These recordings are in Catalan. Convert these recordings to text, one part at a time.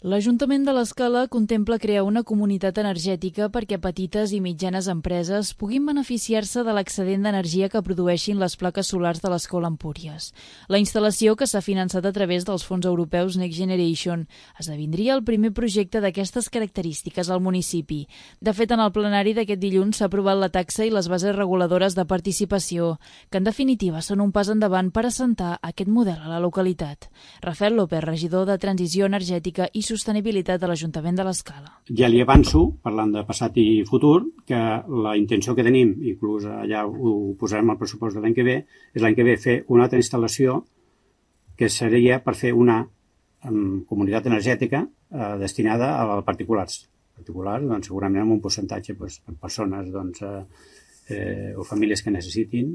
L'Ajuntament de l'Escala contempla crear una comunitat energètica perquè petites i mitjanes empreses puguin beneficiar-se de l'excedent d'energia que produeixin les plaques solars de l'Escola Empúries. La instal·lació, que s'ha finançat a través dels fons europeus Next Generation, esdevindria el primer projecte d'aquestes característiques al municipi. De fet, en el plenari d'aquest dilluns s'ha aprovat la taxa i les bases reguladores de participació, que en definitiva són un pas endavant per assentar aquest model a la localitat. Rafael López, regidor de Transició Energètica i Sostenibilitat de l'Ajuntament de l'Escala. Ja li avanço, parlant de passat i futur, que la intenció que tenim, inclús allà ho posarem al pressupost de l'any que ve, és l'any que ve fer una altra instal·lació que seria per fer una comunitat energètica destinada a particulars. Particulars, doncs, segurament amb un percentatge per persones o famílies que necessitin.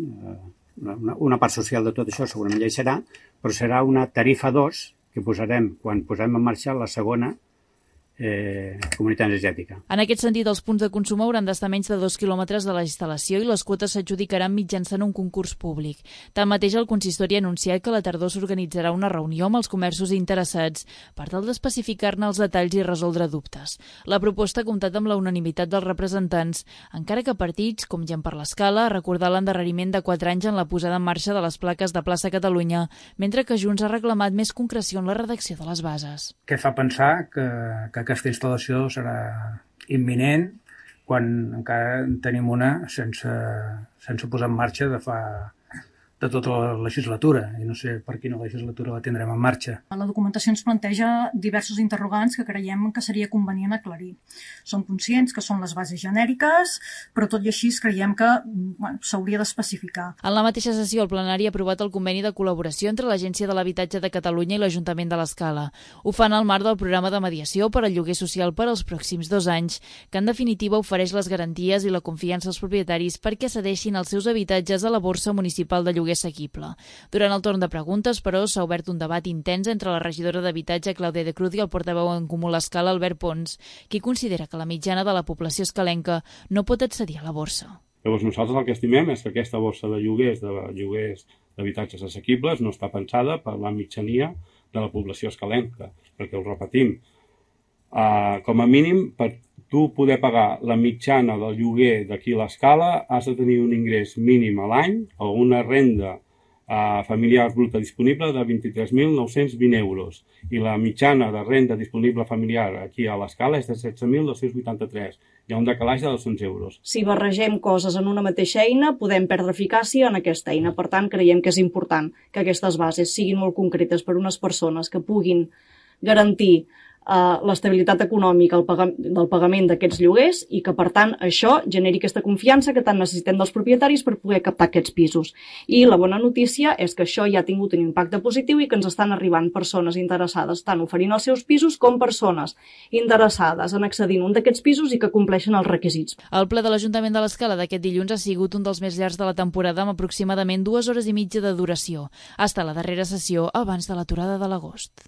Una part social de tot això segurament ja hi serà, però serà una tarifa 2 que posarem quan posem en marxa la segona comunitat energètica. En aquest sentit, els punts de consum hauran d'estar a menys de 2 quilòmetres de la instal·lació i les quotes s'adjudicaran mitjançant un concurs públic. Tanmateix, el consistori ha anunciat que a la tardor s'organitzarà una reunió amb els comerços interessats per tal d'especificar-ne els detalls i resoldre dubtes. La proposta ha comptat amb la unanimitat dels representants, encara que partits, com Gent per l'Escala, ha recordat l'endarreriment de 4 anys en la posada en marxa de les plaques de Plaça Catalunya, mentre que Junts ha reclamat més concreció en la redacció de les bases. Què fa pensar que aquesta instal·lació serà imminent quan encara en tenim una sense posar en marxa de tota la legislatura, i no sé per quina legislatura la tindrem en marxa. La documentació ens planteja diversos interrogants que creiem que seria convenient aclarir. Som conscients que són les bases genèriques, però tot i així creiem que s'hauria d'especificar. En la mateixa sessió, el plenari ha aprovat el conveni de col·laboració entre l'Agència de l'Habitatge de Catalunya i l'Ajuntament de l'Escala. Ho fan al marc del programa de mediació per al lloguer social per als pròxims 2 anys, que en definitiva ofereix les garanties i la confiança als propietaris perquè cedeixin els seus habitatges a la borsa municipal de lloguer assequible. Durant el torn de preguntes, però, s'ha obert un debat intens entre la regidora d'Habitatge, Clàudia de Cruz, i el portaveu en Comú l'Escala, Albert Pons, qui considera que la mitjana de la població escalenca no pot accedir a la borsa. Llavors, nosaltres el que estimem és que aquesta borsa de lloguers d'habitatges assequibles no està pensada per la mitjania de la població escalenca, perquè ho repetim, com a mínim, per tu poder pagar la mitjana del lloguer d'aquí a l'Escala has de tenir un ingrés mínim a l'any o una renda familiar bruta disponible de 23.920 euros i la mitjana de renda disponible familiar aquí a l'Escala és de 16.283. Hi ha un decalatge de 200 euros. Si barregem coses en una mateixa eina, podem perdre eficàcia en aquesta eina. Per tant, creiem que és important que aquestes bases siguin molt concretes per a unes persones que puguin garantir l'estabilitat econòmica del pagament d'aquests lloguers i que, per tant, això generi aquesta confiança que tant necessitem dels propietaris per poder captar aquests pisos. I la bona notícia és que això ja ha tingut un impacte positiu i que ens estan arribant persones interessades tant oferint els seus pisos com persones interessades en accedir a un d'aquests pisos i que compleixen els requisits. El ple de l'Ajuntament de l'Escala d'aquest dilluns ha sigut un dels més llargs de la temporada amb aproximadament 2 hores i mitja de duració. Ha estat la darrera sessió abans de l'aturada de l'agost.